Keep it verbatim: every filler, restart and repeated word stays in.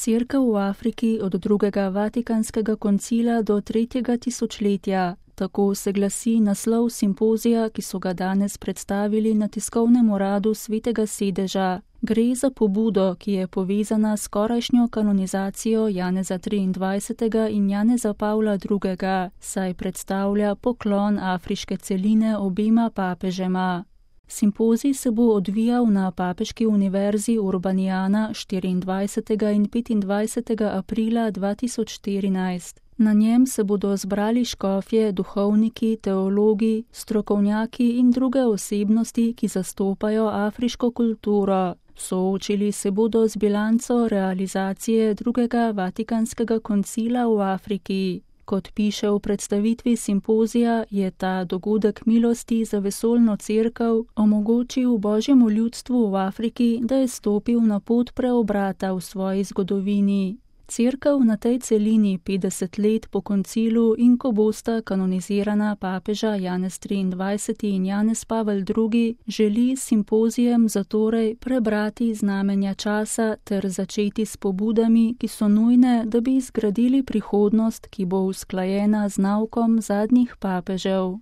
Cerkev v Afriki od drugega Vatikanskega koncila do tretjega tisočletja. Tako se glasi naslov simpozija, ki so ga danes predstavili na tiskovnem uradu Svetega sedeža. Gre za pobudo, ki je povezana s skorajšnjo kanonizacijo Janeza triindvajsetega in Janeza Pavla drugega, saj predstavlja poklon afriške celine obema papežema. Simpozij se bo odvijal na Papeški univerzi Urbaniana štiriindvajsetega in petindvajsetega aprila dva tisoč štirinajst. Na njem se bodo zbrali škofje, duhovniki, teologi, strokovnjaki in druge osebnosti, ki zastopajo afriško kulturo. Soočili se bodo z bilanco realizacije drugega Vatikanskega koncila v Afriki. Kot piše v predstavitvi simpozija, je ta dogodek milosti za vesoljno cerkev omogočil Božjemu ljudstvu v Afriki, da je stopil na pot preobrata v svoji zgodovini. Cerkev na tej celini petdeset let po koncilu in ko bosta kanonizirana papeža Janez triindvajseti in Janez Pavel drugi, želi s simpozijem zatorej prebrati znamenja časa ter začeti s pobudami, ki so nujne, da bi zgradili prihodnost, ki bo usklajena z naukom zadnjih papežev.